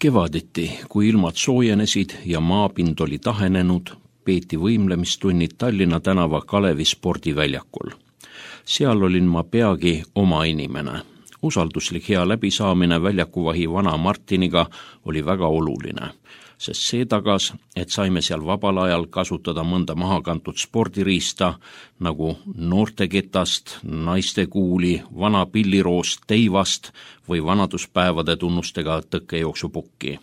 Kevaditi, kui ilmad soojenesid ja maapind oli tahenenud, peeti võimlemistunnid Tallinna tänava Kalevi spordiväljakul. Seal olin ma peagi oma inimene. Usalduslik hea läbisaamine väljakuvahi vana Martiniga oli väga oluline, sest see tagas, et saime seal vabal ajal kasutada mõnda mahakantud spordiriista nagu noorteketast, naistekuuli, vana pilliroost teivast või vanaduspäevade tunnustega tõkkejooksupukki.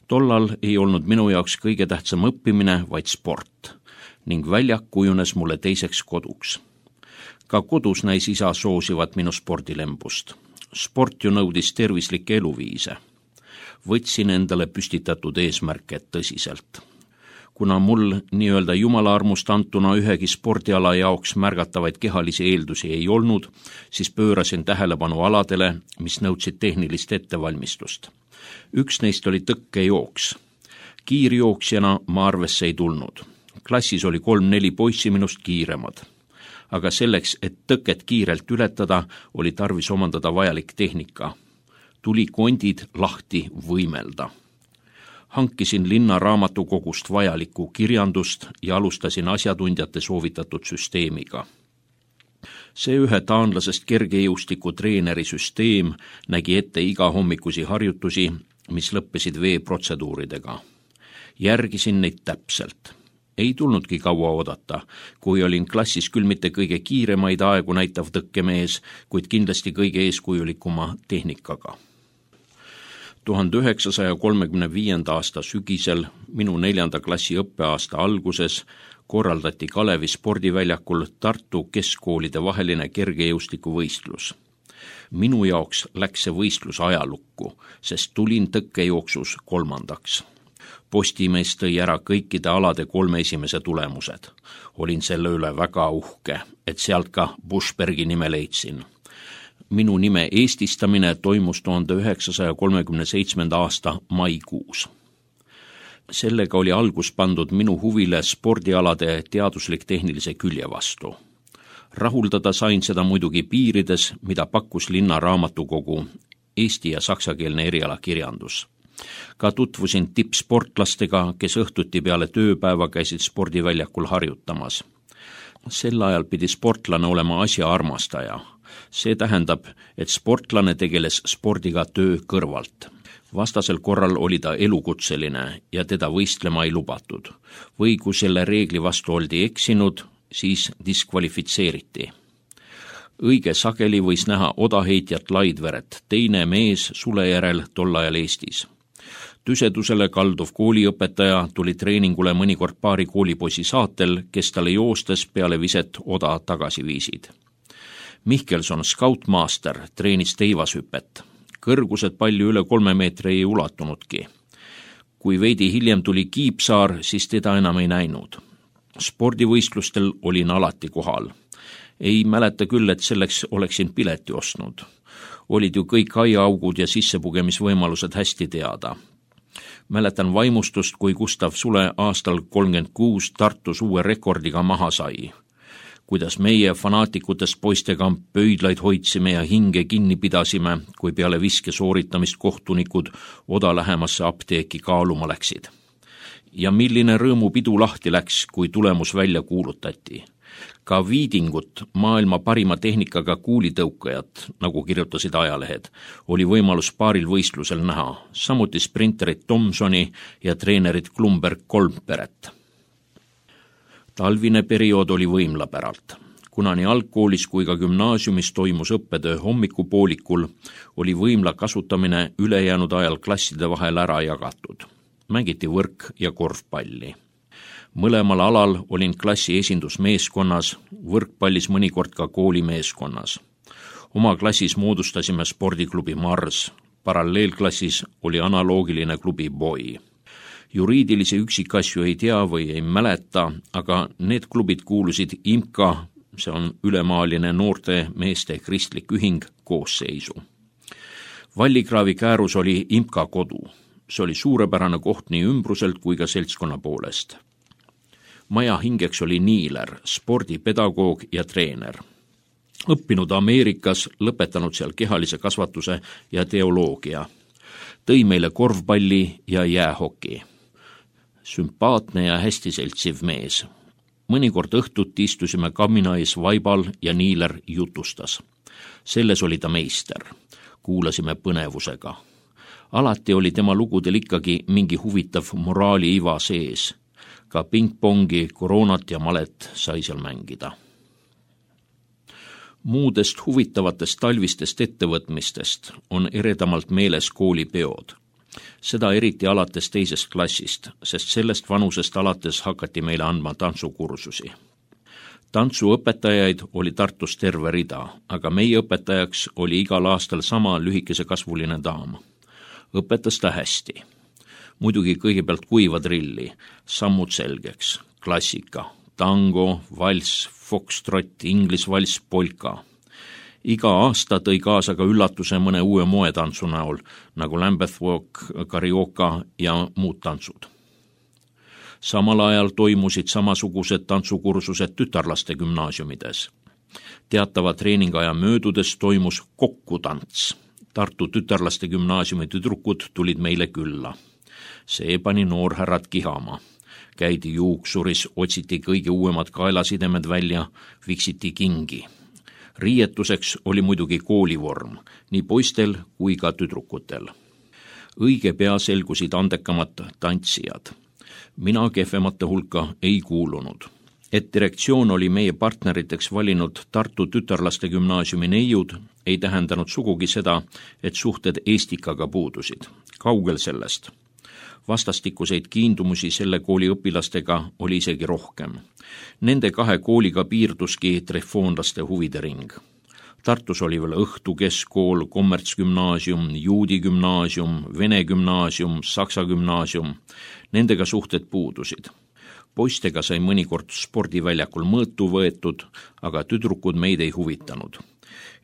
Tollal ei olnud minu jaoks kõige tähtsam õppimine, vaid sport, ning väljak kujunes mulle teiseks koduks. Ka kodus näis isa soosivat minu spordilembust. Sport ju nõudis tervislikke eluviise. Võtsin endale püstitatud eesmärke tõsiselt. Kuna mul nii-öelda jumala armust antuna ühegi spordiala jaoks märgatavaid kehalisi eeldusi ei olnud, siis pöörasin tähelepanu aladele, mis nõudsid tehnilist ettevalmistust. Üks neist oli tõkkejooks. Kiirjooksjana ma arvesse ei tulnud. Klassis oli 3-4 poissi minust kiiremad. Aga selleks, et tõket kiirelt ületada, oli tarvis omandada vajalik tehnika. Tuli kondid lahti võimelda. Hankisin linna raamatukogust vajalikku kirjandust ja alustasin asjatundjate soovitatud süsteemiga. See ühe taanlasest kergejõustiku treeneri süsteem nägi ette iga hommikusi harjutusi, mis lõppesid veeprotseduuridega. Järgisin neid täpselt. Ei tulnudki kaua oodata, kui olin klassis küll mitte kõige kiiremaid aegu näitav tõkkemees, kuid kindlasti kõige eeskujulikuma tehnikaga. 1935. aasta sügisel, minu 4. klassi õppeaasta alguses, korraldati Kalevi spordiväljakul Tartu keskkoolide vaheline kergejõustikuvõistlus. Minu jaoks läks see võistlus ajalukku, sest tulin tõkkejooksus 3. Postimees tõi ära kõikide alade 3 esimese tulemused. Olin selle üle väga uhke, et sealt ka Buschbergi nime leidsin. Minu nime eestistamine toimus 1937. aasta maikuus. Sellega oli algus pandud minu huvile spordialade teaduslik-tehnilise külje vastu. Rahuldada sain seda muidugi piirides, mida pakkus linna raamatukogu, eesti- ja saksakeelne erialakirjandus. Ka tutvusin tippsportlastega, kes õhtuti peale tööpäeva käisid spordiväljakul harjutamas. Sel ajal pidi sportlane olema asjaarmastaja. See tähendab, et sportlane tegeles spordiga töö kõrvalt. Vastasel korral oli ta elukutseline ja teda võistlema ei lubatud. Või kui selle reegli vastu oldi eksinud, siis diskvalifitseeriti. Õige sageli võis näha odaheitjat Laidveret, teine mees sule järel tol ajal Eestis. Tüsedusele kalduv kooliõpetaja tuli treeningule mõnikord paari koolipoisi saatel, kes talle joostes peale viset oda tagasi viisid. Mihkelson, skautmaaster, treenis teivashüpet. Kõrgused palju üle 3 meetri ei ulatunudki. Kui veidi hiljem tuli Kiipsaar, siis teda enam ei näinud. Spordivõistlustel olin alati kohal. Ei mäleta küll, et selleks oleksin pileti ostnud. Olid ju kõik aiaaugud ja sissepugemisvõimalused hästi teada. Mäletan vaimustust, kui Gustav Sule aastal 36 Tartus uue rekordiga maha sai. Kuidas meie fanaatikutest poistega pöidlaid hoidsime ja hinge kinni pidasime, kui peale viske sooritamist kohtunikud oda lähemasse apteeki kaaluma läksid. Ja milline rõõmupidu lahti läks, kui tulemus välja kuulutati. Ka Viidingut, maailma parima tehnikaga kuulitõukajat, nagu kirjutasid ajalehed, oli võimalus paaril võistlusel näha, samuti sprinterit Thomsoni ja treenerit Klumberg-Kolmperet. Talvine periood oli võimlapäralt. Kuna nii algkoolis kui ka gümnaasiumis toimus õppetöö hommikupoolikul, oli võimla kasutamine ülejäänud ajal klasside vahel ära jagatud. Mängiti võrk ja korvpalli. Mõlemal alal olin klassi esindusmeeskonnas, võrkpallis mõnikord ka koolimeeskonnas. Oma klassis moodustasime spordiklubi Mars, paralleelklassis oli analoogiline klubi Boy. Juriidilisi üksikasju ei tea või ei mäleta, aga need klubid kuulusid IMCA, see on ülemaaline noorte meeste kristlik ühing, koosseisu. Vallikraavi käärus oli IMCA kodu. See oli suurepärane koht nii ümbruselt kui ka seltskonna poolest. Maja hingeks oli Niiler, spordipedagoog ja treener. Õppinud Ameerikas, lõpetanud seal kehalise kasvatuse ja teoloogia. tõi meile korvpalli ja jäähoki. Sümpaatne ja hästi seltsiv mees. Mõnikord õhtuti istusime kamina ees vaibal ja Niiler jutustas. Selles oli ta meister. Kuulasime põnevusega. Alati oli tema lugudel ikkagi mingi huvitav moraali iva sees. Ka pingpongi, koroonat ja malet sai seal mängida. Muudest huvitavatest talvistest ettevõtmistest on eredamalt meeles koolipeod. Seda eriti alates teisest klassist, sest sellest vanusest alates hakati meile andma tantsukursusi. Tantsuõpetajaid oli Tartus terve rida, aga meie õpetajaks oli igal aastal sama lühikese kasvuline daam. Õpetas ta hästi. Muidugi kõigepealt kuiva drilli, sammud selgeks, klassika, tango, valss, foxtrot, inglisvalss, polka. Iga aasta tõi kaasa ka üllatuse mõne uue moetantsu näol, nagu Lambeth Walk, Carioca ja muud tantsud. Samal ajal toimusid samasugused tantsukursused tütarlaste gümnaasiumides. Teatava treeningaja möödudes toimus kokkutants. Tartu tütarlaste gümnaasiumi tüdrukud tulid meile külla. See pani noorhärrad kihama. Käidi juuksuris, otsiti kõige uuemad kaelasidemed välja, viksiti kingi. Riietuseks oli muidugi koolivorm, nii poistel kui ka tüdrukutel. Õige pea selgusid andekamad tantsijad. Mina kehvemate hulka ei kuulunud. Et direktsioon oli meie partneriteks valinud Tartu tütarlaste gümnaasiumi neiud, ei tähendanud sugugi seda, et suhted Eestikaga puudusid. Kaugel sellest. Vastastikuseid kiindumusi selle kooli õpilastega oli isegi rohkem. Nende kahe kooliga piirduski trefoonlaste huvide ring. Tartus oli veel Õhtu keskkool, kommertsgümnaasium, juudi gümnaasium, vene gümnaasium, saksa gümnaasium. Nendega suhted puudusid. Poistega sai mõnikord spordiväljakul mõõtu võetud, aga tüdrukud meid ei huvitanud.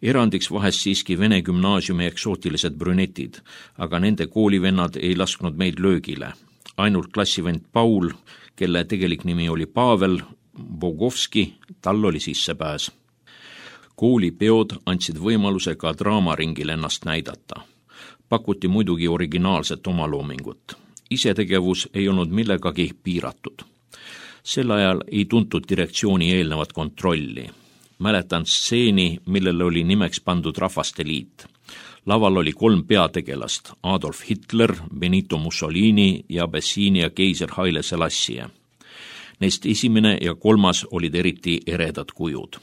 Erandiks vahest siiski vene gümnaasiumi eksootilised brünetid, aga nende koolivennad ei lasknud meid löögile. Ainult klassivend Paul, kelle tegelik nimi oli Pavel Bogovski, tal oli sissepääs. Koolipeod andsid võimaluse ka draamaringil ennast näidata. Pakuti muidugi originaalset omaloomingut. Isetegevus ei olnud millegagi piiratud. Sel ajal ei tuntud direktsiooni eelnevat kontrolli. Mäletan stseeni, millele oli nimeks pandud Rahvaste Liit. Laval oli 3 peategelast, Adolf Hitler, Benito Mussolini ja Abyssinia keiser Haile Selassie. Neist esimene ja 3. olid eriti eredad kujud.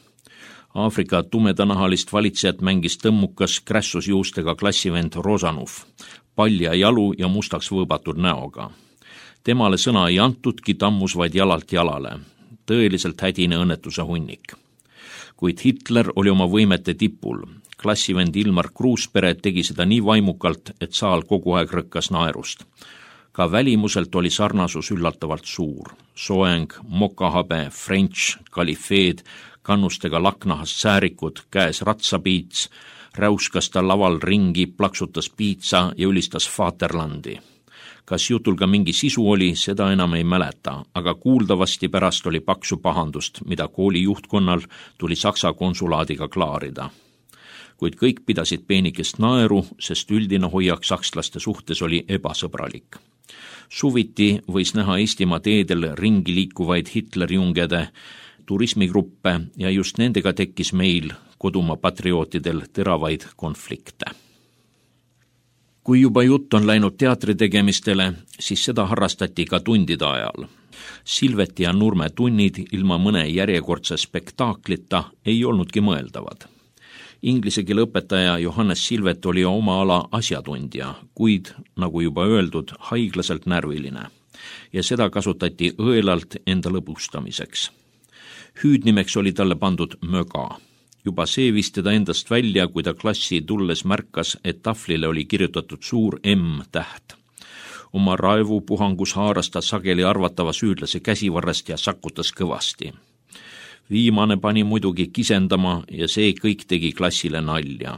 Aafrika tumedanahalist valitsejat mängis tõmmukas krässusjuustega klassivend Rozanov, palja jalu ja mustaks võõbatud näoga. Temale sõna ei antudki, tammus vaid jalalt jalale. Tõeliselt hädine õnnetuse hunnik. Kuid Hitler oli oma võimete tipul. Klassivend Ilmar Kruuspere tegi seda nii vaimukalt, et saal kogu aeg rõkkas naerust. Ka välimuselt oli sarnasus üllatavalt suur. Soeng, mokahabe, French, kalifeed, kannustega laknahast säärikud, käes ratsapiits, räuskas ta laval ringi, plaksutas piitsa ja ülistas Vaterlandi. Kas jutul ka mingi sisu oli, seda enam ei mäleta, aga kuuldavasti pärast oli paksu pahandust, mida kooli juhtkonnal tuli Saksa konsulaadiga klaarida. Kuid kõik pidasid peenikest naeru, sest üldine hoiak sakslaste suhtes oli ebasõbralik. Suviti võis näha Eestimaa teedel ringi liikuvaid Hitlerjungede turismigruppe ja just nendega tekkis meil, kodumaa patriootidel, teravaid konflikte. Kui juba jutt on läinud teatritegemistele, siis seda harrastati ka tundide ajal. Silveti ja Nurme tunnid ilma mõne järjekordse spektaaklita ei olnudki mõeldavad. Inglise keele õpetaja Johannes Silvet oli oma ala asjatundja, kuid, nagu juba öeldud, haiglaselt närviline. Ja seda kasutati õelalt enda lõbustamiseks. Hüüdnimeks oli talle pandud Möga. Juba see viis teda endast välja, kui ta klassi tulles märkas, et tahvlile oli kirjutatud suur M-täht. Oma raevupuhangus haaras ta sageli arvatava süüdlase käsivarrest ja sakutas kõvasti. Viimane pani muidugi kisendama ja see kõik tegi klassile nalja.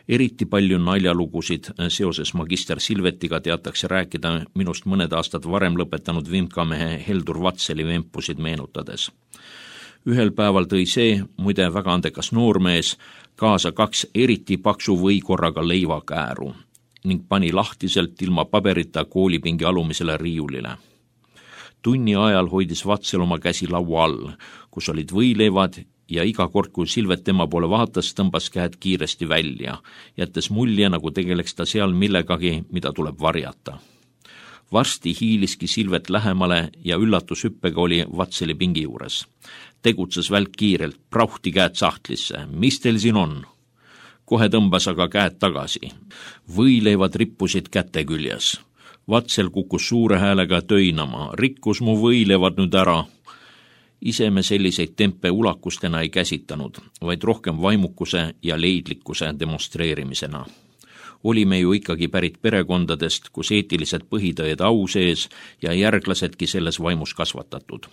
Eriti palju naljalugusid seoses magister Silvetiga teatakse rääkida minust mõned aastad varem lõpetanud vimkamehe Heldur Vatseli vempusid meenutades. Ühel päeval tõi see, muide väga andekas noormees, kaasa 2 eriti paksu võikorraga leivakääru. ning pani lahtiselt ilma paberita koolipingi alumisele riiulile. Tunni ajal hoidis Vatsel oma käsi laua all, kus olid võileivad ja iga kord, kui Silvet tema poole vaatas, tõmbas käed kiiresti välja, jättes mulje, nagu tegeleks ta seal millegagi, mida tuleb varjata. Varsti hiiliski Silvet lähemale ja üllatushüppega oli Vatseli pingi juures. Tegutses välk kiirelt, prauhti käed sahtlisse. Mis teil siin on? Kohe tõmbas aga käed tagasi. Võileivad rippusid käte küljes. Vatsel kukkus suure häälega töinama. Rikkus mu võileivad nüüd ära. Ise me selliseid tempe ulakustena ei käsitanud, vaid rohkem vaimukuse ja leidlikkuse demonstreerimisena. Olime ju ikkagi pärit perekondadest, kus eetilised põhitõed au sees ja järglasedki selles vaimus kasvatatud.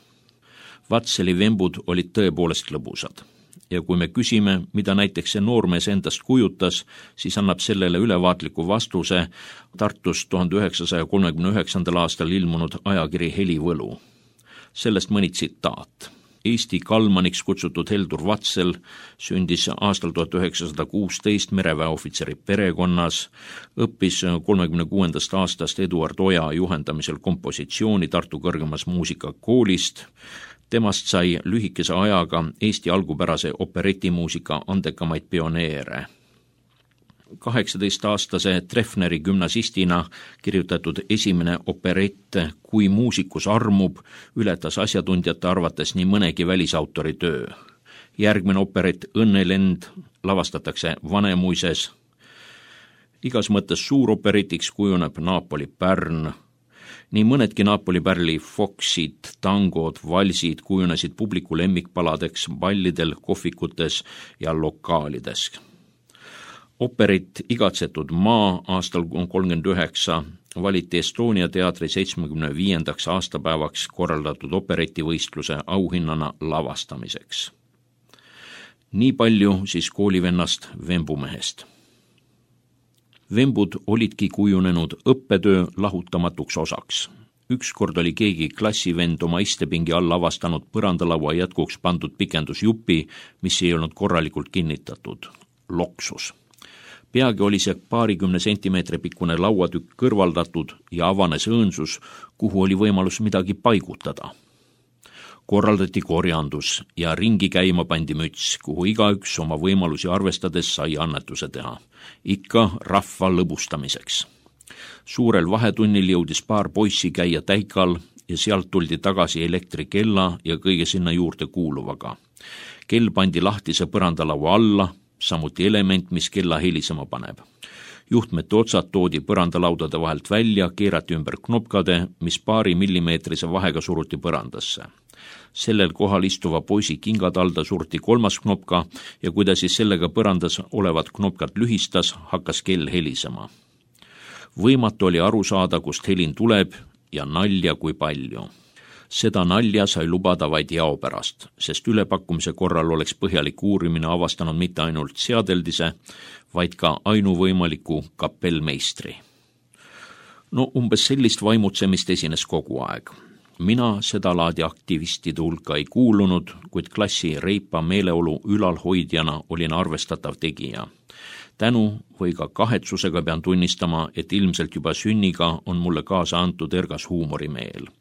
Vatseli vembud olid tõepoolest lõbusad. Ja kui me küsime, mida näiteks see noormees endast kujutas, siis annab sellele ülevaatliku vastuse Tartus 1939. aastal ilmunud ajakiri Helivõlu. Sellest mõni tsitaat. Eesti kalmaniks kutsutud Heldur Vatsel sündis aastal 1916 mereväeohvitseri perekonnas, õppis 36. aastast Eduard Oja juhendamisel kompositsiooni Tartu kõrgemas muusikakoolist. Temast sai lühikese ajaga Eesti algupärase operetimuusika andekamaid pioneere. 18-aastase Treffneri gümnasistina kirjutatud esimene operett Kui muusikus armub ületas asjatundjate arvates nii mõnegi välisautori töö. Järgmine operett Õnnelend lavastatakse Vanemuises. Igas mõttes suuroperitiks kujuneb Napoli pärn. Nii mõnedki Napoli pärli foksid, tangod, valsid kujunesid publiku lemmikpaladeks ballidel, kohvikutes ja lokaalides. Operit Igatsetud maa aastal 1939 valiti Estonia teatri 75. aastapäevaks korraldatud operitivõistluse auhinnana lavastamiseks. Nii palju siis koolivennast Vembumehest. Vembud olidki kujunenud õppetöö lahutamatuks osaks. Ükskord oli keegi klassivend oma istepingi all avastanud põrandalaua jätkuks pandud pikendusjupi, mis ei olnud korralikult kinnitatud. Loksus. Peagi oli see 20 sentimeetri pikkune lauatükk kõrvaldatud ja avanes õõnsus, kuhu oli võimalus midagi paigutada. Korraldati korjandus ja ringi käima pandi müts, kuhu igaüks oma võimalusi arvestades sai annetuse teha. Ikka rahva lõbustamiseks. Suurel vahetunnil jõudis paar poissi käia täikal ja sealt tuldi tagasi elektrikella ja kõige sinna juurde kuuluvaga. Kell pandi lahtise põrandalaua alla, samuti element, mis kella helisema paneb. Juhtmete otsad toodi põrandalaudade vahelt välja, keerati ümber knopkade, mis paari millimeetrise vahega suruti põrandasse. Sellel kohal istuva poisi kingatalda surti kolmas knopka ja kui ta siis sellega põrandas olevat knopkat lühistas, hakkas kell helisema. Võimatu oli aru saada, kust helin tuleb ja nalja kui palju. Seda nalja sai lubada vaid jao pärast, sest ülepakkumise korral oleks põhjalik uurimine avastanud mitte ainult seadeldise, vaid ka ainuvõimaliku kapellmeistri. No umbes sellist vaimutsemist esines kogu aeg. Mina seda laadi aktivistide hulka ei kuulunud, kuid klassi reipa meeleolu ülalhoidjana olin arvestatav tegija. Tänu või ka kahetsusega pean tunnistama, et ilmselt juba sünniga on mulle kaasa antud ergas huumorimeel.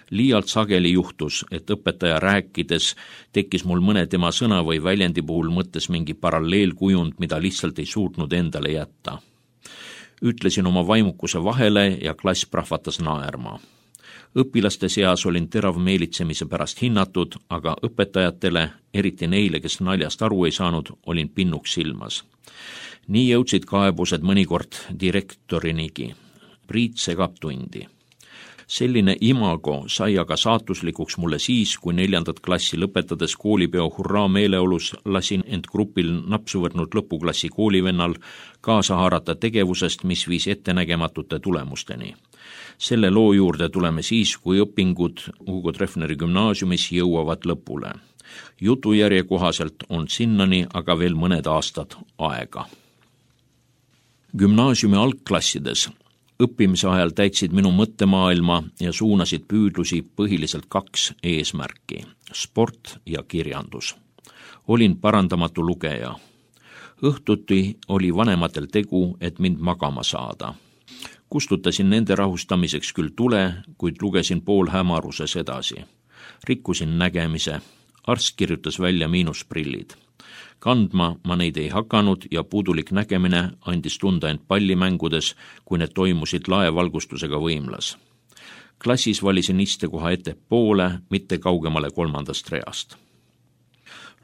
Liialt sageli juhtus, et õpetaja rääkides tekkis mul mõne tema sõna või väljendi puhul mõttes mingi paralleelkujund, mida lihtsalt ei suutnud endale jätta. Ütlesin oma vaimukuse vahele ja klass prahvatas naerma. Õpilaste seas olin terav meelitsemise pärast hinnatud, aga õpetajatele, eriti neile, kes naljast aru ei saanud, olin pinnuks silmas. Nii jõudsid kaebused mõnikord direktorinigi. Priit segab tundi. Selline imago sai aga saatuslikuks mulle siis, kui 4. klassi lõpetades koolipeo hurraa meeleolus lasin end grupil napsu võtnud lõpuklassi koolivennal kaasa haarata tegevusest, mis viis ettenägematute tulemusteni. Selle loo juurde tuleme siis, kui õpingud Hugo Treffneri gümnaasiumis jõuavad lõpule. Jutujärje kohaselt on sinnani aga veel mõned aastad aega. Gümnaasiumi algklassides õppimise ajal täitsid minu mõttemaailma ja suunasid püüdlusi põhiliselt 2 eesmärki, sport ja kirjandus. Olin parandamatu lugeja. Õhtuti oli vanematel tegu, et mind magama saada. Kustutasin nende rahustamiseks küll tule, kuid lugesin poolhämaruses edasi. Rikkusin nägemise. Arst kirjutas välja miinusprillid. Kandma ma neid ei hakanud ja puudulik nägemine andis tunda end pallimängudes, kui need toimusid laevalgustusega võimlas. Klassis valisin istekoha ettepoole, mitte kaugemale 3. reast.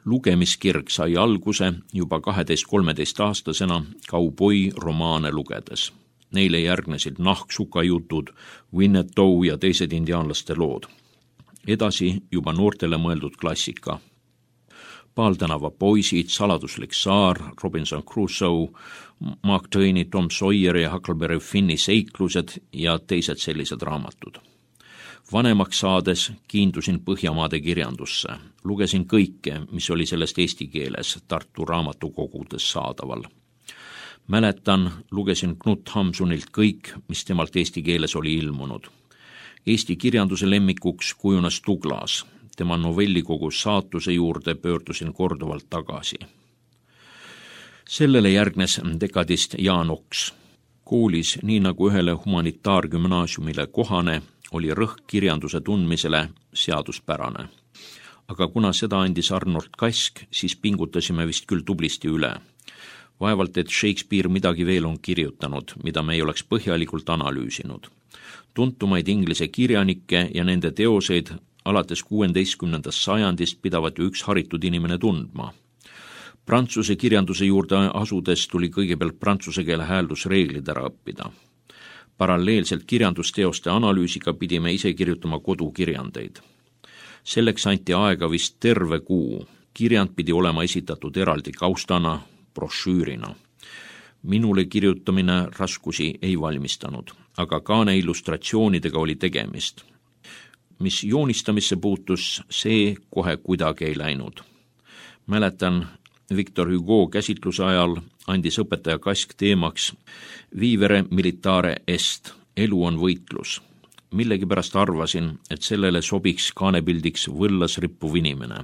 Lugemiskirg sai alguse juba 12-13-aastasena kauboi romaane lugedes. Neile järgnesid Nahksuka jutud, Winnetou ja teised indiaanlaste lood. Edasi juba noortele mõeldud klassika. Paaltänava poisid, Saladuslik saar, Robinson Crusoe, Mark Twaini, Tom Sawyer ja Huckleberry Finni seiklused ja teised sellised raamatud. Vanemaks saades kiindusin Põhjamaade kirjandusse. Lugesin kõike, mis oli sellest eesti keeles Tartu raamatukogudes saadaval. Mäletan, lugesin Knut Hamsunilt kõik, mis temalt eesti keeles oli ilmunud. Eesti kirjanduse lemmikuks kujunes Douglas. Tema novellikogu Saatuse juurde pöördusin korduvalt tagasi. Sellele järgnes dekadist Jaan Oks. Koolis, nii nagu ühele humanitaargümnaasiumile kohane, oli rõhk kirjanduse tundmisele seaduspärane. Aga kuna seda andis Arnold Kask, siis pingutasime vist küll tublisti üle. Vaevalt, et Shakespeare midagi veel on kirjutanud, mida me ei oleks põhjalikult analüüsinud. Tuntumaid inglise kirjanikke ja nende teoseid alates 16. sajandist pidavat ju üks haritud inimene tundma. Prantsuse kirjanduse juurde asudes tuli kõigepealt prantsuse keele hääldusreeglid ära õppida. Paralleelselt kirjandusteoste analüüsiga pidime ise kirjutama kodukirjandeid. Selleks anti aega vist terve kuu. Kirjand pidi olema esitatud eraldi kaustana, brošüürina. Minule kirjutamine raskusi ei valmistanud, aga kaane illustratsioonidega oli tegemist. Mis joonistamisse puutus, see kohe kuidagi ei läinud. Mäletan, Victor Hugo käsitluse ajal andis õpetaja Kask teemaks Vivere militare est, elu on võitlus. Millegipärast arvasin, et sellele sobiks kaanepildiks võllas rippuv inimene.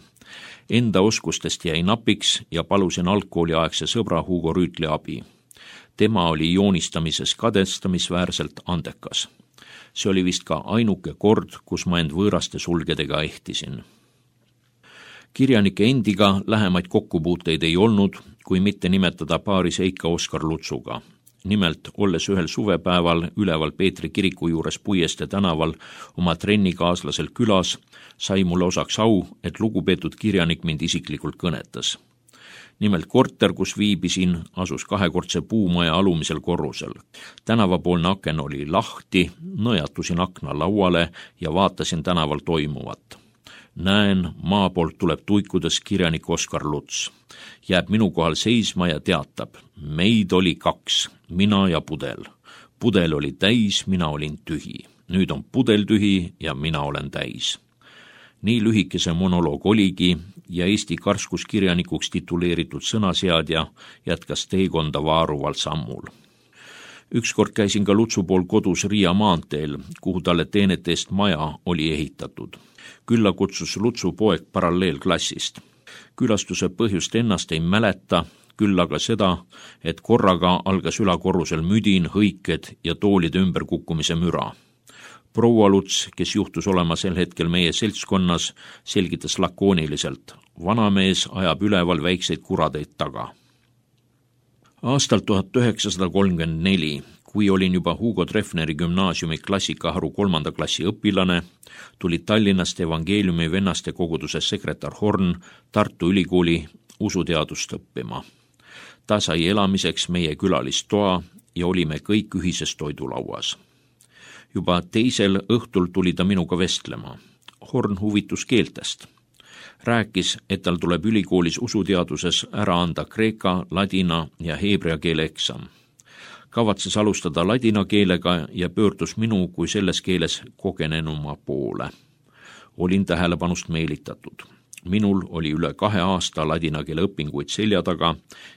Enda oskustest jäi napiks ja palusin algkooliaegse sõbra Hugo Rüütli abi. Tema oli joonistamises kadestamisväärselt andekas. See oli vist ka ainuke kord, kus ma end võõraste sulgedega ehtisin. Kirjanike endiga lähemaid kokkupuuteid ei olnud, kui mitte nimetada paari seika Oskar Lutsuga. Nimelt, olles ühel suvepäeval üleval Peetri kiriku juures Puieste tänaval oma trennikaaslasel külas, sai mulle osaks au, et lugupeetud kirjanik mind isiklikult kõnetas. Nimelt korter, kus viibisin, asus 2-kordse puumaja alumisel korrusel. Tänavapoolne aken oli lahti, nõjatusin akna lauale ja vaatasin tänaval toimuvat. Näen, maa poolt tuleb tuikudes kirjanik Oskar Luts. Jääb minu kohal seisma ja teatab, meid oli 2, mina ja pudel. Pudel oli täis, mina olin tühi. Nüüd on pudel tühi ja mina olen täis. Nii lühikese monoloog oligi ja Eesti karskuskirjanikuks tituleeritud sõnaseadja jätkas teekonda vaaruval sammul. Ükskord käisin ka Lutsu pool kodus Riia maanteel, kuhu talle teenete eest maja oli ehitatud. Külla kutsus Lutsu poeg paralleelklassist. Külastuse põhjust ennast ei mäleta, küll aga seda, et korraga algas ülakorrusel müdin, hõiked ja toolide ümberkukkumise müra. Proua Luts, kes juhtus olema sel hetkel meie seltskonnas, selgitas lakooniliselt, vanamees ajab üleval väikseid kuradeid taga. Aastal 1934, kui olin juba Hugo Treffneri gümnaasiumi klassikaharu 3. klassi õpilane, tuli Tallinnast Evangeeliumi vennaste koguduse sekretär Horn Tartu Ülikooli usuteadust õppima. Ta sai elamiseks meie külalistoa ja olime kõik ühises toidulauas. Juba teisel õhtul tuli ta minuga vestlema. Horn huvitus keeltest. Rääkis, et tal tuleb ülikoolis usuteaduses ära anda kreeka, ladina ja heebrea keele eksam. Kavatses alustada ladina keelega ja pöördus minu kui selles keeles kogenenuma poole. Olin tähelepanust meelitatud. Minul oli üle 2 aasta ladina keele õpinguid selja taga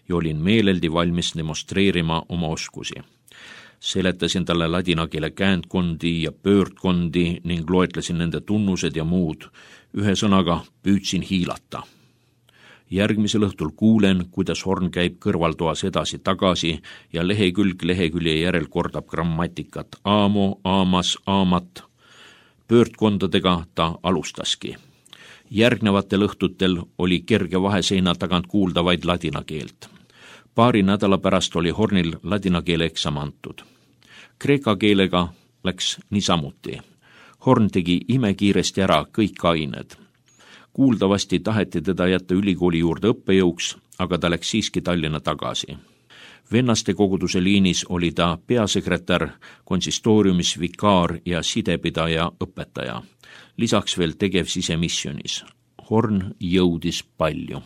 ja olin meeleldi valmis demonstreerima oma oskusi. Seletasin talle ladina keele käändkondi ja pöördkondi ning loetlesin nende tunnused ja muud. Ühe sõnaga püüdsin hiilata. Järgmisel õhtul kuulen, kuidas Horn käib kõrvaltoas edasi-tagasi ja lehekülg lehekülje järel kordab grammatikat. Aamo, aamas, aamat. Pöördkondadega ta alustaski. Järgnevatel õhtutel oli kerge vaheseina tagant kuulda vaid ladina keelt. Paari nädala pärast oli Hornil ladina keele eksam antud. Kreeka keelega läks niisamuti. Horn tegi imekiiresti ära kõik ained. Kuuldavasti taheti teda jätta ülikooli juurde õppejõuks, aga ta läks siiski Tallinna tagasi. Vennaste koguduse liinis oli ta peasekretär, konsistooriumis vikaar ja sidepidaja õpetaja. Lisaks veel tegev sisemissionis. Horn jõudis palju.